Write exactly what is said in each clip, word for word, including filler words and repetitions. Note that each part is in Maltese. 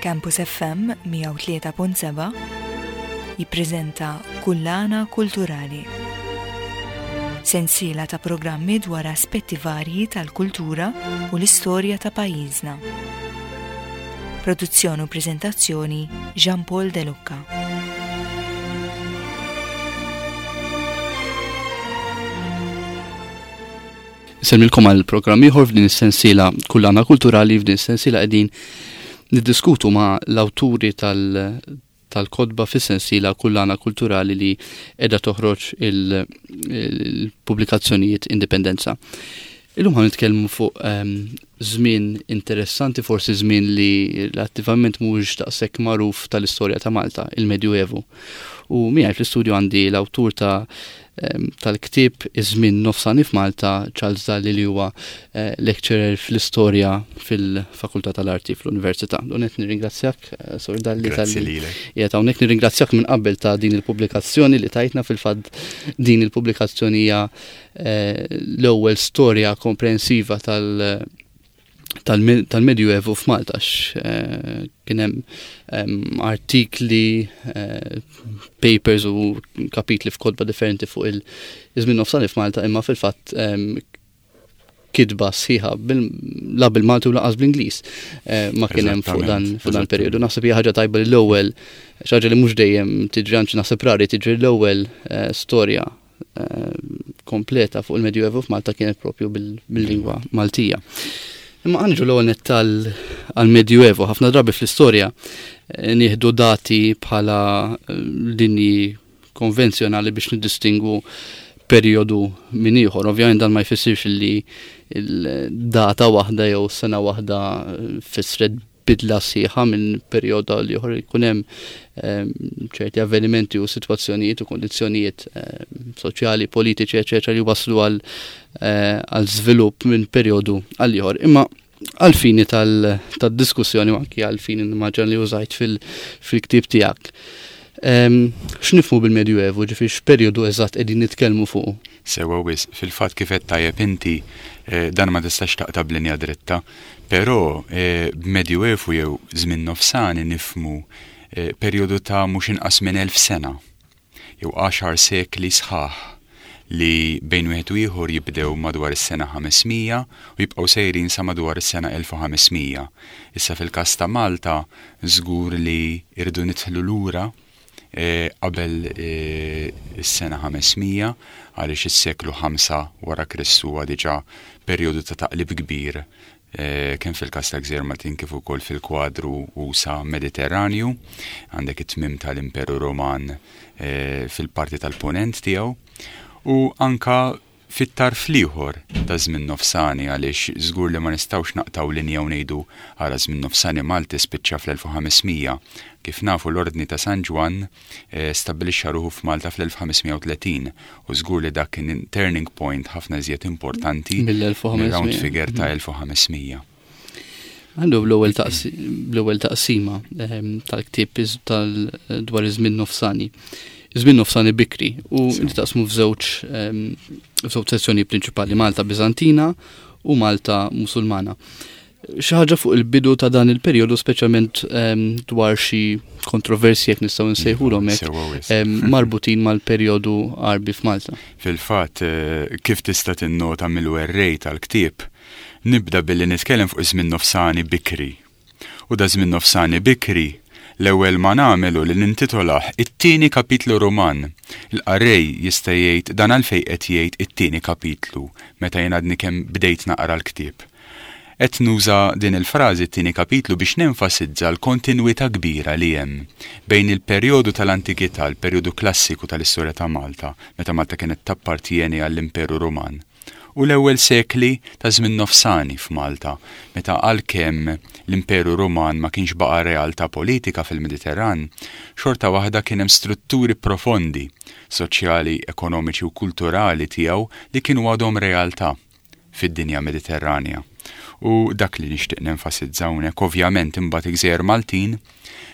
Campus F M mija u tlieta punt seba' jippreżenta Kullana Kulturali. Sensiela ta' programmi dwar aspetti varji tal-kultura u l-istorja ta' pajjiżna. Produzzjoni u preżentazzjoni, Jean Paul De Lucca. Insellmilkom għal programm ieħor f'din is-sensiela Kullana Kulturali. F'din is-sensiela qegħdin niddiskutu ma' l-awturi tal- tal-kotba fis-sensiela Kullana Kulturali li qiegħda toħroġ il-pubblikazzjonijiet Indipendenza. Illum ħa nitkellmu fuq ehm, żmien interessanti, forsi żmien li relattivament mhuwiex daqshekk magħruf tal-istorja ta' Malta, il-Medjuevu. U miegħi fl-istudju għandi l-awtur ta' ehm, tal-ktieb Iż-żmien nofsani f'Malta, Charles Dalli, li huwa eh, lecturer fl-istorja fil-Fakultà tal-Arti fl-Università. Donet nirringrazzjak, eh, Sur Dalli, Grazzi tal-li lilek. qiegħed hawnhekk. Nirringrazzjak minn qabel ta' din il-pubblikazzjoni li tajtna. Fil-fatt, din il-pubblikazzjoni hija eh, l-ewwel storja komprensiva tal- tal-Medjuevu f'Malta, x eh, kien hemm em, artikli, eh, papers u kapitli f'kotba differenti fuq il-żmien nofsani f'Malta, imma fil-fatt em, kitba sħiħa bil- la bil-Malti u lanqas bl-Ingliż eh, ma kien hemm fuq dan Eżattament, fuq dan periodu. Naħseb hija ħaġa tajba li l-ewwel, xi ħaġa li mhux dejjem tiġri, anzi naħseb rari tiġri, l-ewwel eh, storja eh, kompleta fuq il-Medjuevu f'Malta kienet propju bil- bil-lingwa Maltija. Imma ħa niġu l-ewwel nett għal-Medjuevu. Ħafna drabi fl-istorja eh, nieħdu dati bħala eh, linji konvenzjonali biex niddistingwu periodu minn ieħor. Ovvjament dan ma jfissirx li il-data waħda jew sena waħda eh, fissret bidla sħiħa minn perjodu għal ieħor. Jkun hemm ehm, ċerti avvenimenti u sitwazzjonijiet u kondizzjonijiet ehm, soċjali, politiċi, eċetera, li waslu għal eh, għal żvilupp minn perjodu għal ieħor. Imma għal-fini tal-diskussjoni u anki għal-fini nimmaġina li użajt fil-ktieb tiegħek. Ehm, X'nifhmu bil-Medjuevu, ġifieri x'perjodu eżatt qegħdin nitkellmu fuq? Sewa wisq, fil-fatt, kif qed tajjeb inti, eh, dan ma tistax taqta' b'linja dritta, però eh, b'Medjuevu jew żmien nofsani nifhmu eh, perjodu ta' mhux inqas minn elf sena jew għaxar sekli sħaħ li bejn wieħed u ieħor jibdew madwar is-sena ħames mija u jibqgħu sejrin sa madwar is-sena elf u ħames mija. Issa, fil-każ ta' Malta żgur li irdu nidħlu lura eh, qabel eh, is-sena ħames mija, għaliex is-seklu ħamsa wara Kristu huwa diġà perjodu ta' taqlib kbir eh, kemm fil-każ ta' Gżejjer Maltin kif ukoll fil-kwadru usa' Mediterranju. Għandek it-tmim tal-Imperu Roman eh, fil-parti tal-ponent tiegħu u anka fit-tarf l-ieħor ta' żmien nofsani, għaliex żgur li ma nistgħux naqtaw linja u ngħidu, ara, żmien nofsani Malti spiċċa fl-elf u ħames mija. Kif nafu, l-Ordni ta' San Ġwann eh, stabbilixxa ruħu f'Malta fl-elf ħames mija u tletin u żgur li dak kien turning point ħafna iżjed importanti mill-elf u ħames mija. Mir-round figure ta' elf u ħames mija. Għandu bl-ewwel taqsi- bl-ewwel taqsima ehm, tal-ktieb iż- tal dwar iż-żmien nofsani. Iż-żmien nofsani bikri u Sew. inti taqsmu f'żewġ ehm, f'żewġ sezzjoni prinċipali, Malta Biżantina u Malta Musulmana. Xi ħaġa fuq il-bidu ta' dan il-perjodu, speċjalment ehm, dwar xi kontroversji, jekk nistgħu nsejħulhom hekk, Sewa wisq. ehm, marbutin mal-perjodu Arbi f'Malta. Fil-fatt, eh, kif tista' tinnota mill-werrej tal-ktieb, nibda billi nitkellem fuq iż-żmien nofsani bikri. U da żmien nofsani bikri, l-ewwel ma nagħmelu li nintitolah It-tieni kapitlu Roman. Il-qarrej jista' jgħid, dan għalfejn qed jgħid it-tieni kapitlu meta jien għadni kemm bdejt naqra l-ktieb? Qed nuża din il-frażi t-tieni kapitlu biex nenfasizza l-kontinwità kbira li hemm bejn il-perjodu tal-antikità, il-perjodu klassiku tal-istorja ta' Malta, meta Malta kienet tappartieni għall-Imperu Roman, u l-ewwel sekli ta' żmien nofsani f'Malta, meta għalkemm l-Imperu Roman ma kienx baqa' realtà politika fil-Mediterran, xorta waħda kien hemm strutturi profondi soċjali, ekonomiċi u kulturali tiegħu li kienu għadhom realtà fid-dinja Mediterranja. U dak li nixtieq nenfasizza hawnhekk. Ovvjament, imbagħad il-Gżejjer Maltin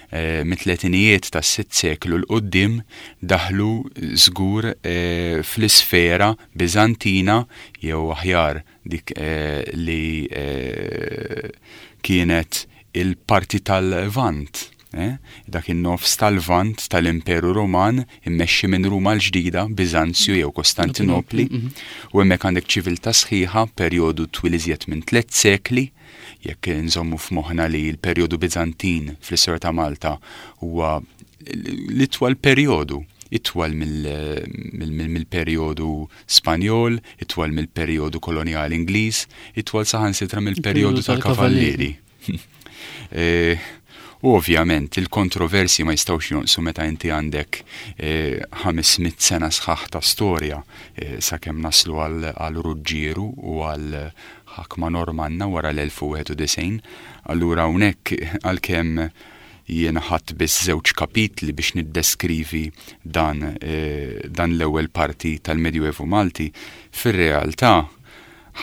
eh, mit-tletinijiet tas-sitt seklu 'l quddiem daħlu żgur eh, fl-isfera Biżantina, jew aħjar dik eh, li eh, kienet il-parti tal-Lvant, eh? Dak in-nofs tal-Lvant tal-Imperu Roman immexxi minn Ruma l-ġdida, Biżanzju jew Kostantinopli, Mhm. u hemmhekk għandek ċiviltà sħiħa, perjodu twil iżjed minn tliet sekli, jekk nżommu f'moħħna li l-perjodu Biżantin fl-istorja ta' Malta huwa l-itwal perjodu, itwal mill-perjodu Spanjol, itwal mill-perjodu koloniali Ingliż, itwal saħansitra mill-perjodu tal-Kavallieri. Eh, U ovvjament il-kontroversi ma jistgħux jonqsu meta inti għandek eh, ħames mitt sena sħaħ ta' storja eh, sakemm naslu għal Ruġġieru u għal ħakma Normanna wara l-elf u wieħed u disgħin. Allura hawnhekk, għalkemm jiena ħadt biss żewġ kapitli biex niddeskrivi dan, eh, dan l-ewwel parti tal-Medjuevu Malti, fir-realtà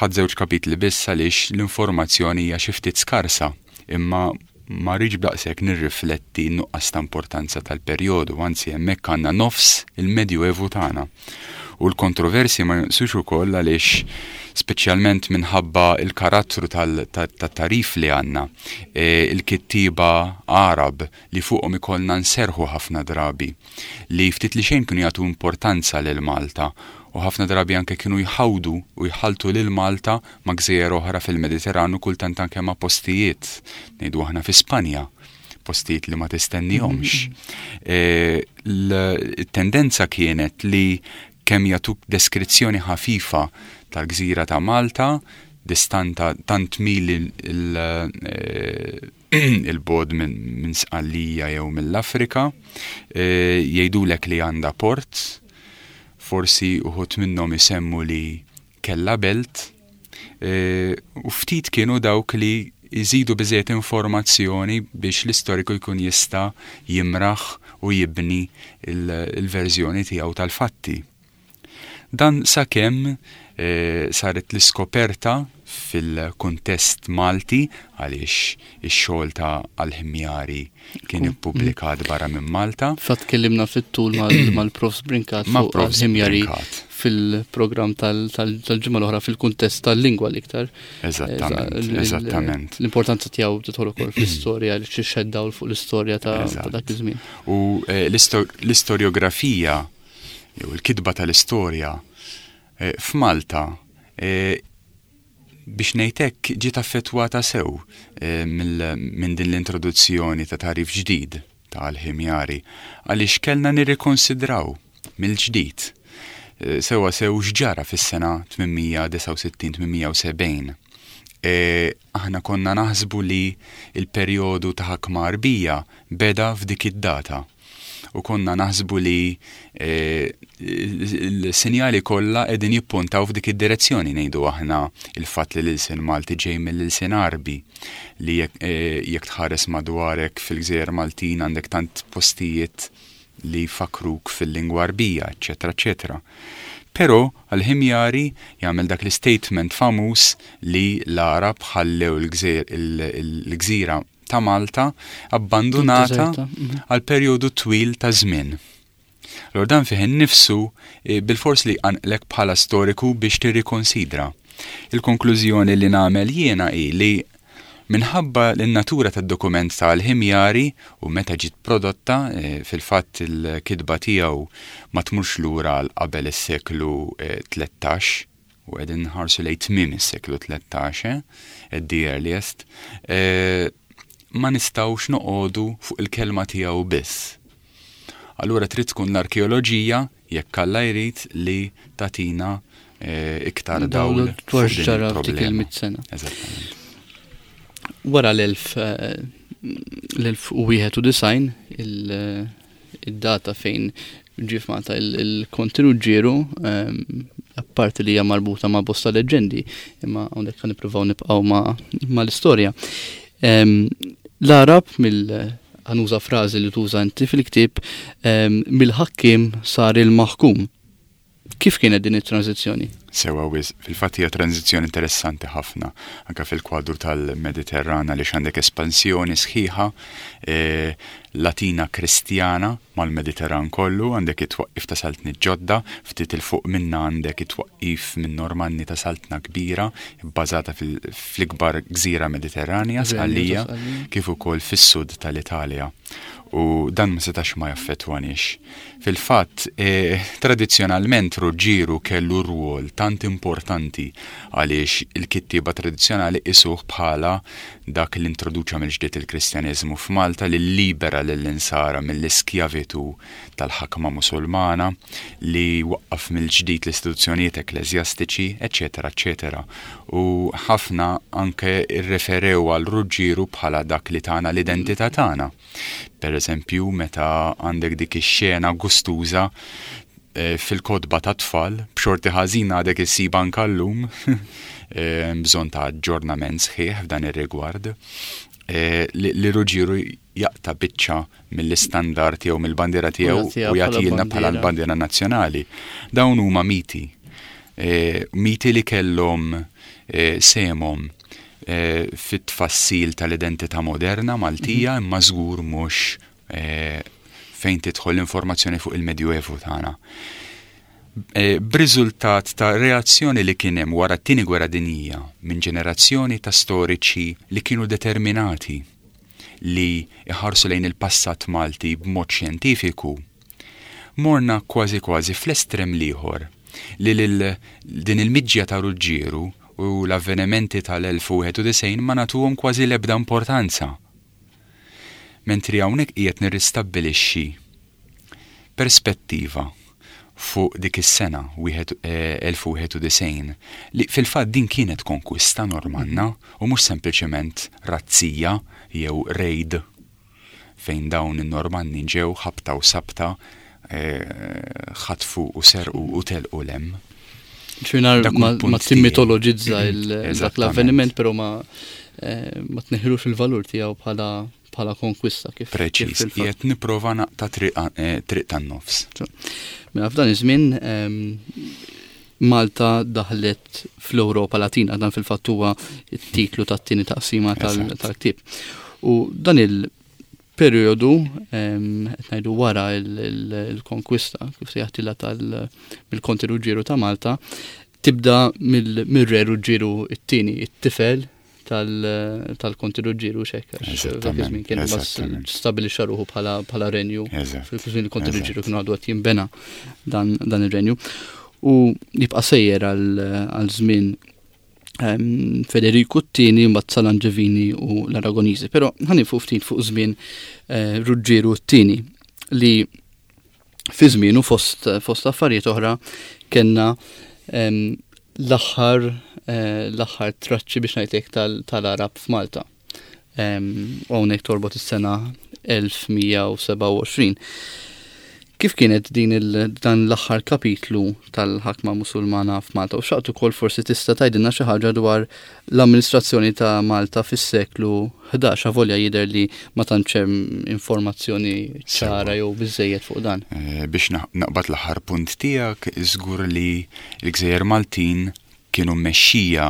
ħadt żewġ kapitli biss għaliex l-informazzjoni hija xi ftit skarsa, imma ma rridx b'daqshekk nirrifletti nuqqas ta' importanza tal-perjodu, anzi hemmhekk għandna nofs il-Medjuevu tagħna. U l-kontroversi ma jonqsux ukoll għaliex, speċjalment minħabba il-karattru tal-tarif li għandna, e, il-kittiba Arab li fuqhom ikollna nserħu ħafna drabi, li ftit li xejn kienu jagħtu importanza lil Malta u ħafna drabi anke kienu jħawdu u jħaltu lil Malta ma' gżejjer oħra fil-Mediterranu, kultant anke ma' postijiet, ngħidu aħna fi Spanja, postijiet li ma tistennihomx. E, L-tendenza kienet li kemm jagħtuk deskrizzjoni ħafifa tal-gżira ta' Malta, distanta tant mil il-bogħod minn Sqallija jew mill-Afrika, e, jgħidulek li għandha port, forsi uħud minnhom isemmu li kella belt, e, u ftit kienu dawk li jżidu biżejjed informazzjoni biex l-istoriku jkun jista' jimraħ u jibni il-verżjoni tiegħu tal-fatti. Dan sakemm e, saret l-iskoperta fil-kuntest Malti, għaliex ix-xogħol ta' Al-Ħimjari kien ippubblikat barra minn Malta. Fatt kellimna fit-tul mal-Profs Brincat Ma' fuq Profs Al-Ħimjari Brincat. fil-programm tal-ġimgħa l-oħra fil-kuntest tal-lingwa l-iktar. Eżattament, Il- eżattament. L-importanza tiegħu tidħol ukoll fl-istorja li xed dawl fuq l-istorja ta' ta' dak iż-żmien. U eh, l-isto- l-istoriografija jew il-kitba tal-istorja eh, f'Malta, eh, biex ngħidlek, ġiet affettwata sew eh, mill- minn din l-introduzzjoni ta' tarif ġdid ta' Al-Ħimjari, għaliex kellna nirrikonsidraw mill-ġdid eh, sewa sew x'ġara fis-sena tmien mija disgħa u sittin-tmien mija u sebgħin. E, aħna konna naħsbu li il-perjodu ta' ħakma Arbija beda f'dik id-data. U konna naħsbu li e, il-sinjali kollha qegħdin jippuntaw f'dik id-direzzjoni, ngħidu aħna il-fatt li l-ilsien Malti ġej mill-ilsien Arbi, li jekk e, jekk tħares madwarek fil-Gżejjer Maltin għandek tant postijiet li fakruk fil-lingwa Arbija, eċetera, eċetera. Però Al-Ħimjari jagħmel dak l-statement famuż li l-Arab ħallew il-gżejjer- il-gżira ta' Malta abbandonata Deserta, mhm. għal perjodu twil ta' żmien. Allora dan fih innifsu eh, bil-fors li għanqlek bħala storiku biex tirrikonsidra. Il-konklużjoni li nagħmel jiena hi li minħabba l-natura tad-dokument tal-Ħimjari u meta ġiet prodotta, eh, fil-fatt il-kitba tiegħu ma tmurx lura għal qabel is-seklu eh, tlettax, u qegħdin nħarsu lejn tmiem is-seklu tlettax, eh, at the earliest, eh, ma nistgħux noqogħdu fuq il-kelma tiegħu biss. Allura trid tkun l-arkeoloġija, jekk Alla jrid, li tatina eh, iktar dawl dwar fuq din x'ġara f'dik il-problema. il-mitt sena. Eżattament. Wara l-elf eh, l-elf u wieħed u disgħin, il- id-data fejn ġie f'Malta il-Konti Ruġġieru, ehm, apparti li hija marbuta ma' bosta leġendi, imma hawnhekk ħa nippruvaw nibqgħu ma' mal-istorja. Ehm, L-Arab mill ħa nuża frażi li tuża inti fil-ktieb, ehm, mill-ħakkim sar il-maħkum. Kif kienet din it-tranzizzjoni? Sewwa wisq, fil-fatt hija tranżizzjoni interessanti ħafna anke fil-kwadru tal-Mediterran għaliex għandek espansjoni sħiħa eh, Latina Kristjana mal-Mediterran kollu, għandek it-twaqqif ta' saltni ġodda, ftit 'il fuq minna għandek it-twaqqif minn Normanni ta' saltna kbira bbażata fl-ikbar gżira Mediterranja, Sqallija, kif ukoll fis-sud tal-Italja. U dan ma setax ma jaffettwanix. Fil-fatt, eh, tradizzjonalment Ruġġieru kellu rwol tant importanti għaliex il-kittieba tradizzjonali qisuh bħala dak li introduċa mill-ġdid il-Kristjaneżmu f'Malta, li libera lill-insara mill-iskjavitu tal-ħakma Musulmana, li waqqaf mill-ġdid l-istituzzjonijiet ekkleżjastiċi, eċetera, eċetera. U ħafna anke rreferew għal Ruġġieru bħala dak li tana l-identità tagħna. Per eżempju, meta għandek dik ix-xena gustuża eh, fil-kotba ta' tfal, b'xorti ħażina għadek issib anke llum, eh, bżonn ta' aġġornament sħiħ f'dan ir-rigward, eh, li Ruġġieru jaqta' biċċa mill-istandard jew mill-bandiera tiegħu u jagħtilna bħala l-bandiera nazzjonali. Dawn huma miti. Miti li kellhom sehemhom fit-tfassil tal-identità moderna Maltija, imma żgur mhux fejn tidħol l-informazzjoni fuq il-Medjuevu tagħna. B'riżultat ta' reazzjoni li kien hemm wara t-Tieni Gwerra Dinjija minn ġenerazzjoni ta' storiċi li kienu determinati li iħarsu lejn il-passat Malti b'mod xjentifiku, morna kważi kważi fl-estrem l-ieħor li lil din il-miġja ta' Ruġġieru u l-avvenimenti tal-elf u wieħed u disgħin ma nagħtuhom kważi l-ebda importanza. Mentri hawnhekk qiegħed nirristabbilixxi perspettiva fuq dik is-sena wieħed elf u wieħed u disgħin li fil-fatt din kienet konkwista Normanna u mhux sempliċement razzija jew raid fejn dawn in-Normanni ġew ħabta u sabta ħatfu u serqu u telqu lem. Ċinar ma timmitologizza dak l-avveniment, pero ma ma tneħħilux il-valur tiegħu bħala bħala konkwista kif. Preċiż, qiegħed nipprova naqta' triq tan-nofs. Mela f'dan iż-żmien Malta daħlet fl-Ewropa Latina, dan fil-fatt huwa t-titlu tat-tieni taqsima tal-ktieb. U dan il-perjodu qed ngħidu wara il-konkwista kif se jaħtilha tal-bil-Konti Ruġġieru ta' Malta, tibda mill-Re Ruġġieru t-tieni, it-tifel tal-Konti Ruġġieru xek, dak iż-żmien kien bass stabilixxa ruħu bħala renju. Fil-żmien il-Konti Ruġġieru kienu għadu qed jinbena dan ir-renju. U jibqa' sejjer għal żmien Federiku t-tieni, mbagħad Salanġevini u l-Aragoniżi. Però ħanifu ftit fuq żmien Ruġġieru t-tieni li fi żmienu fost fost affarijiet oħra kellna l-aħħar l-aħħar traċċi biex ngħidlek tal-Arab f'Malta. U hawnhekk torbot is-sena elf mija u sebgħa u għoxrin. Kif kienet din dan l-aħħar kapitlu tal-ħakma Musulmana f'Malta? U xaqt ukoll forsi tista' tgħidilna xi ħaġa dwar l-amministrazzjoni ta' Malta fis-seklu ħdax, avolja jidher li ma tantx hemm informazzjoni ċara jew biżejjed fuq dan. Biex naqbad l-aħħar punt tiegħek, żgur li l-Gżejjer Maltin kienu mmexxija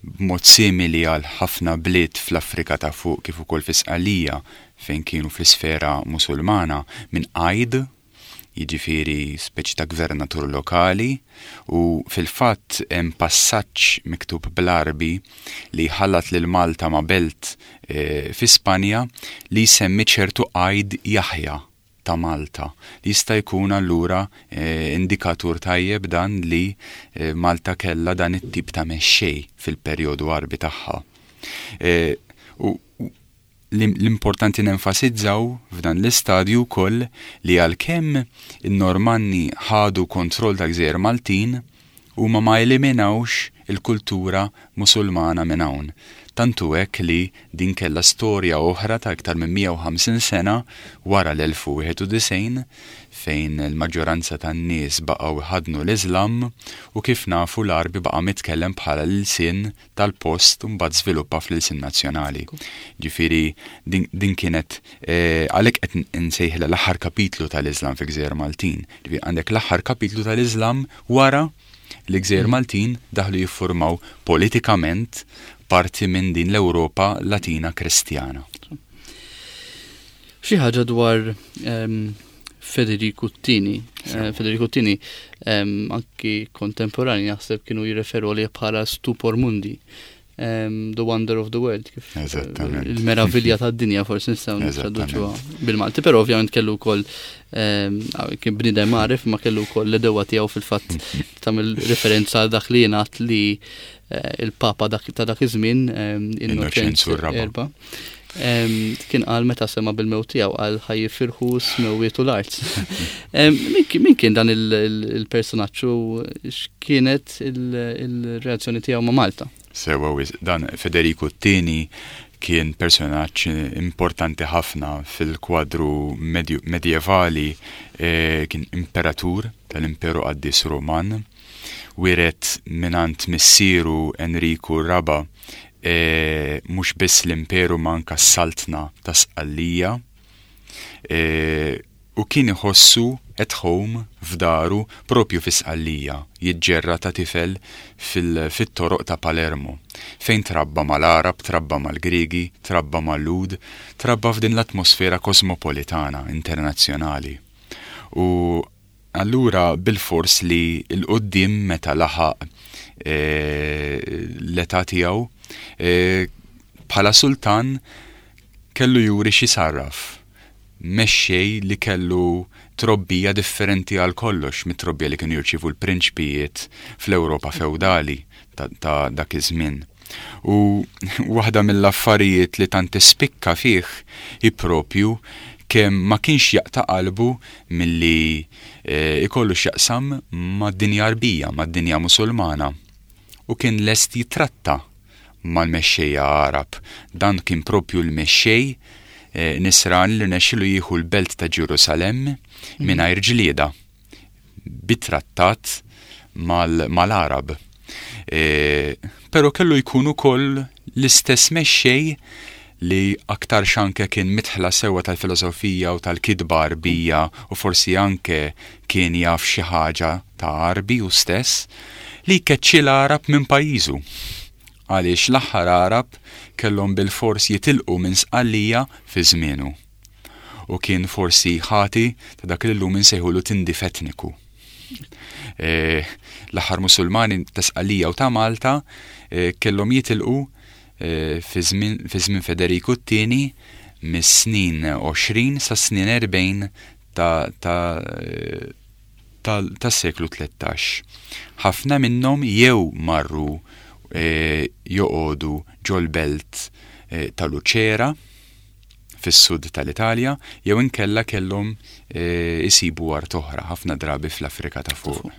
b'mod simili għal ħafna bliet fl-Afrika ta' fuq kif ukoll fi Sqallija fejn kienu fl-isfera Musulmana minn qajd, jiġifieri speċi ta' gvernatur lokali, u fil-fatt hemm passaġġ miktub bl-Arbi li ħallat lil Malta ma' belt fi Spanja li jsemmi ċertu qajd Jaħja ta' Malta. Li jista' jkun allura indikatur tajjeb dan li Malta kellha dan it-tip ta' mexxej fil-perjodu Arbi tagħha. U l-importanti nenfasizzaw f'dan l-istadju wkoll li għalkemm in-Normanni ħadu kontroll ta' Gżejjer Maltin, huma ma eliminawx il-kultura Musulmana minn hawn. Tantu hekk li din kellha storja oħra ta' iktar minn mija u ħamsin sena wara l-elf u wieħed u disgħin fejn il-maġġoranza tan-nies baqgħu ħadnu l-Iżlam u kif nafu l-Għarbi baqa' mitkellem bħala l-ilsien tal-post u mbagħad żviluppa fl-ilsien nazzjonali. Ġifieri din, din kienet eh, għalhekk qed insejħilha l-aħħar kapitlu tal-Iżlam fi Gżejjer Maltin. Ġifieri għandek l-aħħar kapitlu tal-Iżlam wara li Gżejjer Maltin daħlu jiffurmaw politikament parti minn din l-Ewropa Latina Kristjana. Xi ħaġa dwar um, Federico t-Tieni. Uh, Federico t-Tieni um, anki kontemporani naħseb kienu jirreferu li bħala stupor mundi. Um, the wonder of the world, kif il-meravilja tad-dinja forsi nistgħu nittraduċuha bil-Malti, però ovvjament kellu wkoll um, kien bniedem għaref ma kellu wkoll l-għedewwa tiegħu fil-fatt tagħmel referenza għal dak li jingħad li uh, il-Papa ta' dak iż-żmien um, Innoċenzu r-Raba'. Kien qal meta sema bil-mewt tiegħu qal ħa jifirħu s-smewwiet u l-art. Min kien dan il-personaġġ u x'kienet il-reazzjoni tiegħu ma' Malta? Sewa, dan Federico t-Tieni kien personaġġ importanti ħafna fil-kwadru medjevali, kien imperatur tal-Imperu Qaddis Roman, wiret mingħand missieru Enriku r-Raba' E, mhux biss l-imperu ma anka s-saltna ta' Sqallija e, u kien iħossu at home f'daru propju fi Sqallija, jiġġerra ta' tifel fit-toroq ta' Palermo, fejn trabba mal-Arab, trabba mal-Griegi, trabba mal-Lhud, trabba f'din l-atmosfera kosmopolitana, internazzjonali. U allura bil-fors li 'l quddiem meta laħaq e, l-età tiegħu e, bħala sultan kellu juri xi sarraf. Mexxej li kellu trobbija differenti għal kollox mit-trobbija li kienu jirċivu l-prinċpijiet fl-Ewropa feudali ta', ta dak iż-żmien. U waħda mill-affarijiet li tant tispikka fih hi propju kemm ma kienx jaqta' qalbu milli e, ikollu x'jaqsam mad-dinja Arbija, mad-dinja Musulmana. U kien lest jitratta mal-mexxejja Arab. Dan kien propju l-mexxej e, nisran li rnexxielu jieħu l-belt ta' Ġerusalemm mingħajr ġlieda bit-trattat mal-Arab. E, però kellu jkun ukoll l-istess mexxej li aktar anke kien midħla sewwa tal-filosofija u tal-kitba Arbija u forsi anke kien jaf xi ħaġa ta' Arbi u stess li keċċi l-Arab minn pajjiżu. Għaliex l-aħħar Arab kellhom bil-fors jitilqu minn Sqallija fi żmienu. U kien forsi ħati ta' dak li llum insejħulu tindif etniku. E, l-aħħar Musulmani ta' Sqallija u ta' Malta e, kellhom jitilqu e, fi żmien Federiku t-Tieni mis-snin għoxrin sa snin erbgħin ta' ta' tas-seklu tlettax. Ħafna minnhom jew marru e, joqogħdu ġol-belt e, ta' Lucera fis-sud tal-Italja, jew inkella kellhom isibu art oħra, ħafna drabi fl-Afrika ta' fuq.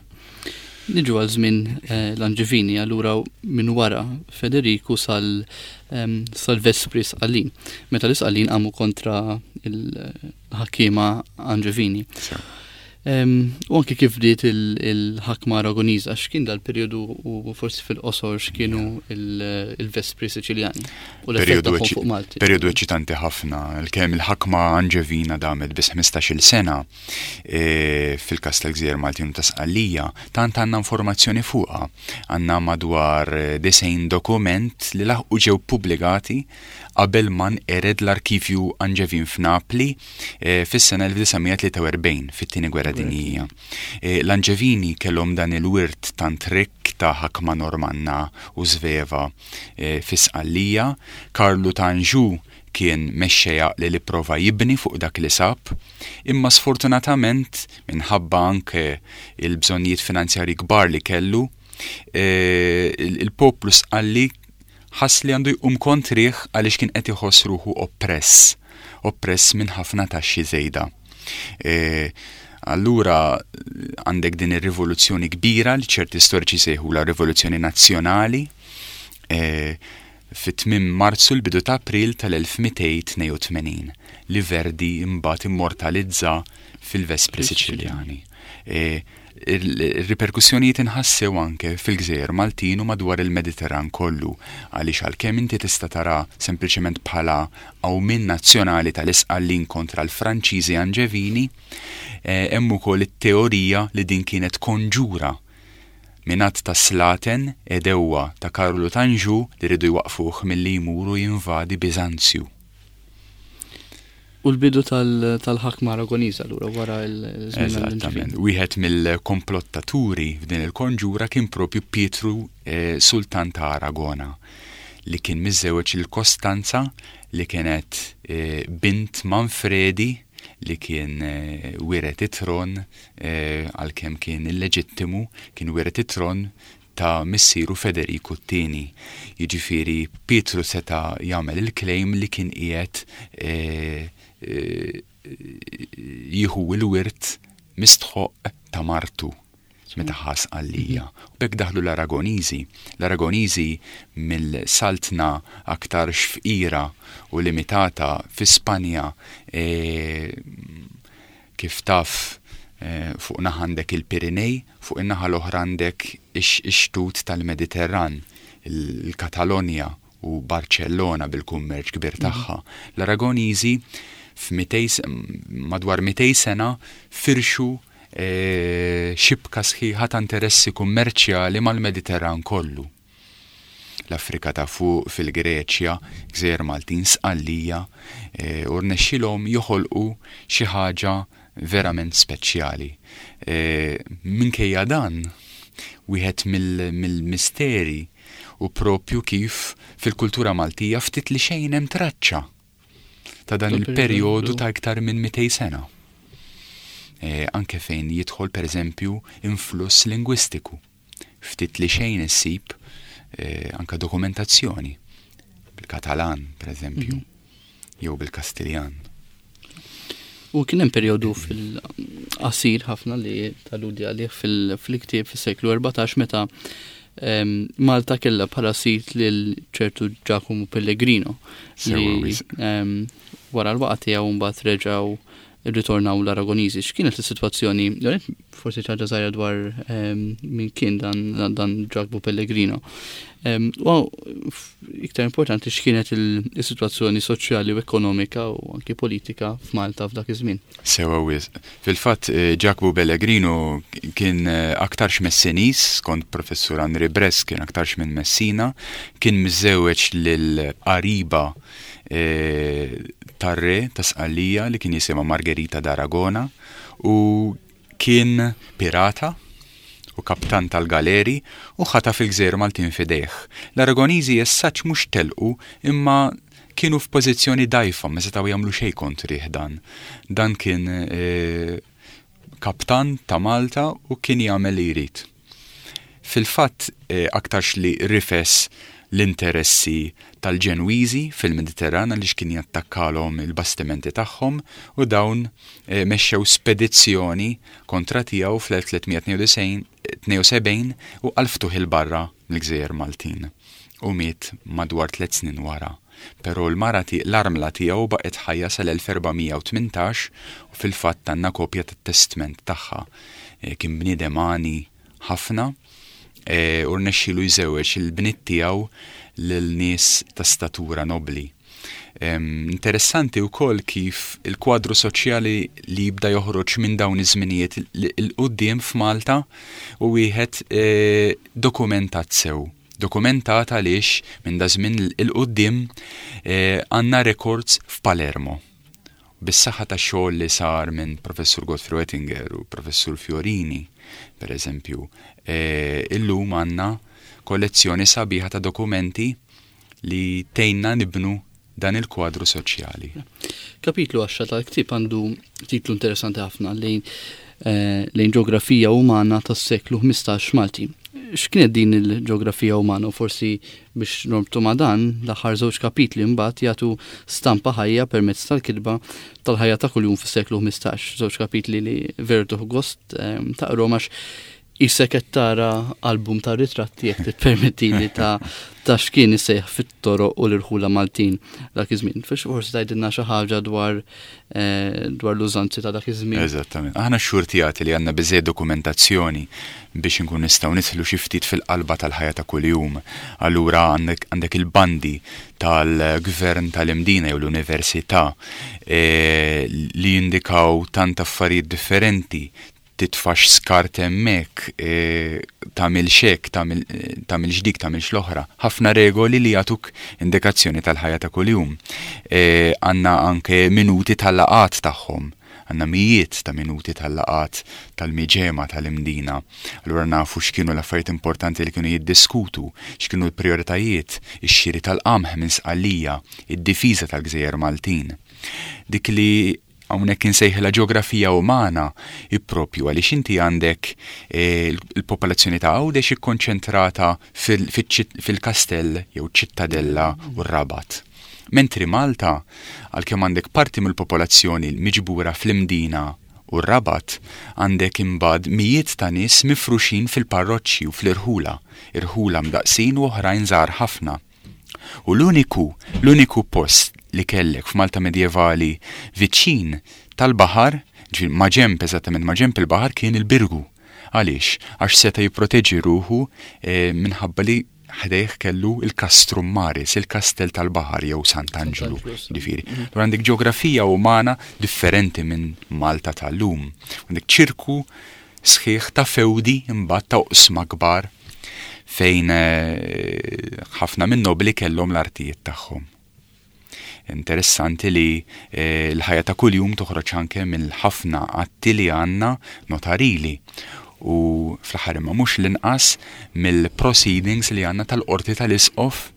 Niġu għal żmien l-Anġevini, allura minn wara Federiku sal sal-Vespri Sqallin. Meta l-Isqallin qamu kontra il-ħakkiema Anġevini. U anki kif bdiet il-ħakma Aragoniża, x'kien dal-perjodu u forsi fil-qosor x'kienu il-Vespri Siċiljani u l-effett tagħhom fuq Malti. Perjodu eċitanti ħafna, kemm il-ħakma Anġevina damet biss ħmistax-il sena e, fil-kas tal-Gżejjer Maltin u ta' Sqallija, tant għandna informazzjoni fuqha. Għandna madwar disgħin dokument li laħqu ġew pubblikati qabel ma nqered l-arkivju Anġevin f'Napli e, fis-sena elf disa' mija tlieta u erbgħin fit-tieni gwerra dinjija. E, L-Anġevini kellhom dan il-wirt tant rikk ta' ħakma Normanna u Sveva, e, fi Sqallija. Karlu ta' Anjou kien mexxejja li li prova jibni fuq dak li sab, imma sfortunatament minħabba anke il-bżonnijiet finanzjari kbar li kellu, e, il-poplu Sqalli ħass li għandu jqum kontrih għaliex kien qed iħoss ruħu oppress, oppress minn ħafna taxxi żejda. E, allura għandek din ir-rivoluzzjoni kbira li ċerti storiċi sejħu la rivoluzzjoni nazzjonali, e, Fit-tmiem Marzu, l-bidu ta' April tal-elf mittejn tnejn u tmenin, li Verdi imbagħad immortalizza fil-Vespri Siċiljani. E, il-riperkussjonijiet inħassew anke fil-gżejjer Maltin u madwar il-Mediterran kollu, għaliex għalkemm inti tista' tara sempliċement bħala qawmien nazzjonali tal-Isqallin kontra l-Franċiżi Anġevini, eh, hemm ukoll it-teorija li din kienet konġura minn għadd ta' slaten għedewwa ta' Karlu t'Anġu li riedu jwaqfuh milli jmur u jinvadi Biżanzju. U l-bidu tal-ħakma Aragoniża allura wara l-żmien. Eżattament. Wieħed mill-komplottaturi f'din il-konġura kien propju Pietru, eh, Sultan ta' Aragona, li kien miżżewweġ il-Kostanza, li kienet eh, bint Manfredi, li kien eh, wiret it-tron, għalkemm kien illeġittimu, kien wiret it-tron ta' missieru Federiku t-tieni. Jiġifieri Pietru seta' jagħmel il-claim li kien qiegħed jieħu il-wirt mistħoq ta' martu meta ħa Sqallija. U b'hekk daħlu l-Aragoniżi. L-Aragoniżi, mill-saltna aktar fqira u limitata fi Spanja, e, kif taf, e, fuq naħa għandek il-Pirinej, fuq in-naħa l-oħra għandek ix-xtut tal-Mediterran, il-Katalonja u Barcellona bil-kummerċ kbir tagħha. L-Aragoniżi madwar mitejn sena firxu e, xibka sħiħa ta' interessi kummerċjali mal-Mediterran kollu. L-Afrika ta' fuq, fil-Greċja, Gżejjer Maltin, Sqallija, e, u rnexxilhom joħolqu xi ħaġa verament speċjali. E, minkejja dan, wieħed mill-misteri hu propju kif fil-kultura Maltija ftit li xejn hemm traċċa ta' dan il-perjodu ta' iktar minn mitejn sena. E, anke fejn jidħol, per eżempju, influss lingwistiku. Ftit li xejn issib e, anka dokumentazzjoni bil-Katalan, per eżempju, mm -hmm. jew bil-Kastiljan. U kien hemm perjodu fil-qasir ħafna li taludi għalih fil-ktieb fis-seklu erbatax, meta Malta kella bħala sit lil ċertu Giacomo Pellegrino li wara l-waqt tiegħu mbagħad reġgħu rritornaw l-Aragoniżi. X'kienet is-sitwazzjoni? Forsi ħaġa żgħira dwar min kien dan dan Giacomo Pellegrino. U iktar importanti, x'kienet il-sitwazzjoni soċjali u ekonomika u anki politika f'Malta f'dak iż-żmien? Sewa wisq. Fil-fatt, eh, Giacomo Pellegrino kien eh, aktarx Messiniż, skont professur Henri Bress kien aktarx minn Messina, kien miżżewweġ lil qariba eh, tar-re ta' Sqallija li kien jisimha Margherita d'Aragona u kien pirata u kaptan tal-galeri u ħataf il-gżejjer Maltin f'idejh. L-Aragoniżi jessaċ mhux telqu, imma kienu f'pożizzjoni dgħajfa, ma setgħu jagħmlu xejn kontrih dan. Dan kien e, kaptan ta' Malta u kien jagħmel li jrid. Fil-fatt, e, aktarx li rifes l-interessi tal-Ġenwiżi fil-Mediterran, għaliex kien jattakkalhom il-bastimenti tagħhom, u dawn e, mexxew spedizzjoni kontra tiegħu fl-elf tliet mija tnejn u sebgħin u qalftuh 'il barra mill-Gżejjer Maltin u miet madwar tliet snin wara. Però l-mara, l-armla tiegħu, baqgħet ħajja sal-elf erba' mija u tmintax u fil-fatt għandna kopja tat-testment tagħha. E, kien bniedem għani ħafna e, u rnexxielu jżewweġ il-bniet tiegħu lil nies ta' statura nobli. Interessanti wkoll kif il-kwadru soċjali li jibda joħroġ minn dawn iż-żminijiet 'il quddiem f'Malta hu wieħed e, dokumentat sew. Dokumentat għaliex minn da żmien 'il quddiem e, għandna records f'Palermo. Bis-saħħa ta' xogħol li sar minn Professur Godfrey Oettinger u Professur Fiorini, per eżempju, e, illum għandna kollezzjoni sabiħa ta' dokumenti li tgħinna nibnu dan il-kwadru soċjali. Kapitlu għaxra tal-ktieb għandu titlu interessanti ħafna, lejn eh, lejn ġeografija umana tas-seklu ħmistax Malti. X'kienet din il-ġeografija umana? U forsi biex norbtu ma' dan, l-aħħar żewġ kapitli mbagħad jagħtu stampa ħajja permezz tal-kitba tal-ħajja ta' kuljum fis-seklu ħmistax. Żewġ kapitli li veru tieħu gost eh, taqrahom għax Qisek qed tara album ta' ritratti, jekk tippermettili, ta' ta' x'kien iseħħ fit-toroq u l-irħula Maltin dak iż-żmien. Fiex forsi tgħidilna xi ħaġa dwar eh, dwar l-użanzi ta' dak iż-żmien. Eżattament. Aħna xxurtjati li għandna biżejjed dokumentazzjoni biex inkun nistgħu nidħlu xi ftit fil-qalba tal-ħajja ta' kuljum. Allura għandek għandek il-bandi tal-gvern tal-Imdina jew l-università eh, li jindikaw tant affarijiet differenti: titfax skart hemmhekk, e, tagħmilx hekk, tagħmilx dik, tagħmilx l-oħra. Ħafna regoli li jagħtuk indikazzjoni tal-ħajja ta' kuljum. E, għandna anke minuti tal-laqat tagħhom. Għandna mijiet ta' minuti tal-laqat tal-miġema tal-Imdina. Allura nafu x'kienu l-affarijiet importanti li kienu jiddiskutu, x'kienu l-prioritajiet, ix-xiri tal-qamħ minn Sqallija, id-difiża tal-Gżejjer Maltin. Dik li hawnhekk insejħilha ġeografija umana propju għaliex inti għandek eh, il-popolazzjoni ta' Għawdex ikkonċentrata fil-kastell jew ċittadella u r-Rabat. Mentri Malta, għalkemm għandek parti mill-popolazzjoni miġbura fl-Imdina u r-Rabat, għandek imbagħad mijiet ta' nies mifruxin fil-parroċċi u fl-irħula, irħula mdaqsin u oħrajn żgħar ħafna. U l-uniku, l-uniku post li kellek f'Malta medjevali viċin tal-baħar, maġemp, eżattament maġemp il-baħar, kien il-Birgu. Għaliex? Għax seta' jipproteġi ruħu e, minħabba li ħdejh kellu il-Castrum Maris, il-Kastell tal-Baħar jew Sant'Anġlu. Ġifieri. Mhm. Għandek ġeografija umana differenti minn Malta tal-lum. Għandek ċirku sħiħ ta' fewdi, imbagħad ta' oqsma kbar fejn eh, ħafna minn nobli kellhom l-artijiet tagħhom. Interessanti li eh, l-ħajja ta' kuljum toħroġ anke mill-ħafna atti li għandna notarili u fl-aħħar imma mhux l-inqas mill-proceedings li għandna tal-qorti tal-Isqof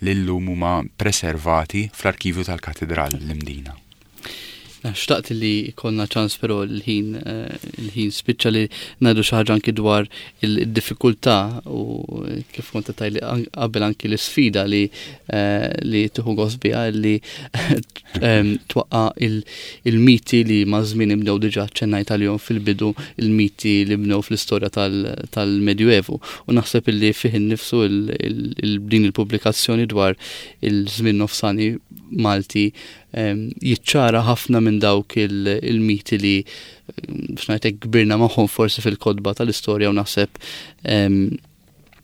li llum huma preservati fl-arkivju tal-Katedral l-Imdina. Xtaqt li konna ċans, però l-ħin eh, l-ħin spiċċa, li ngħidu xi ħaġa anki dwar il-diffikultà u, kif kont tgħidli qabel, anki l-isfida li eh, li tieħu gost biha li twaqqa il-miti li ma' żmien ibnew, diġà ċennajt għalihom fil-bidu, il-miti li bnew fl-istorja tal-Medjuevu. U naħseb illi fih innifsu din il-pubblikazzjoni dwar il-żmien nofsani Malti jiċċara ħafna minn dawk il-miti li, biex ngħidlek, kbirna magħhom forsi fil-kotba tal-istorja, u naħseb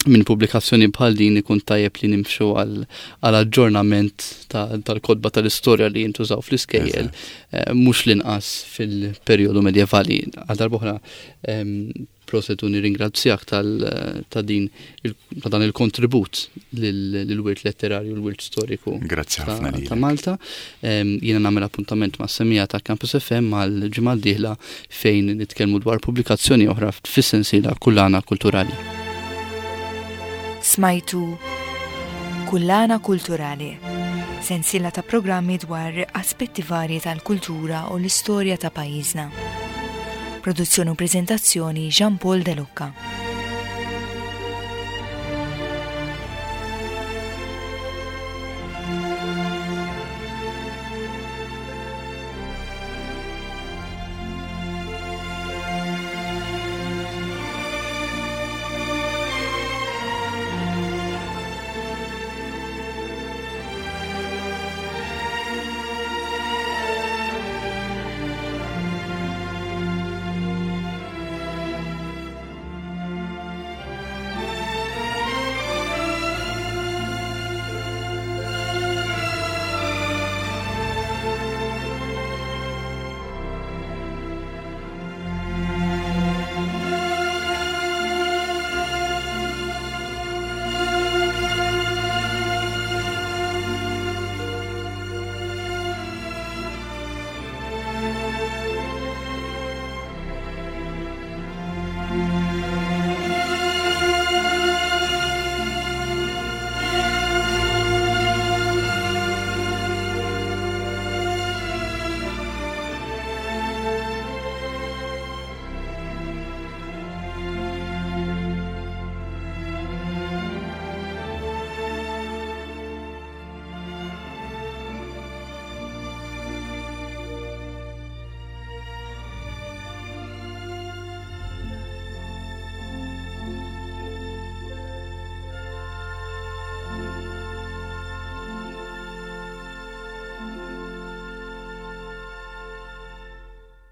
minn pubblikazzjoni bħal din ikun tajjeb li nimxu għal aġġornament tal-kotba tal-istorja li jintużaw fl-iskejjel, eh, mhux l-inqas fil-perjodu medjevali. Għal darb'oħra, proset u nirringrazzjak ta' din ta' dan il-kontribut lill-wirt letterarju, l-wirt storiku Grazzi ħafna. ta' Malta. Jiena nagħmel appuntament mas-semmiegħa ta' Campus F M għal ġimgħa d-dieħla fejn nitkellmu dwar pubblikazzjoni oħra fis-sensiela Kullana Kulturali. Smajtu Kullana Kulturali, sensiela ta' programmi dwar aspetti varji tal-kultura u l-istorja ta' pajjiżna. Produzzjoni u prezentazzjoni, Jean Paul De Lucca.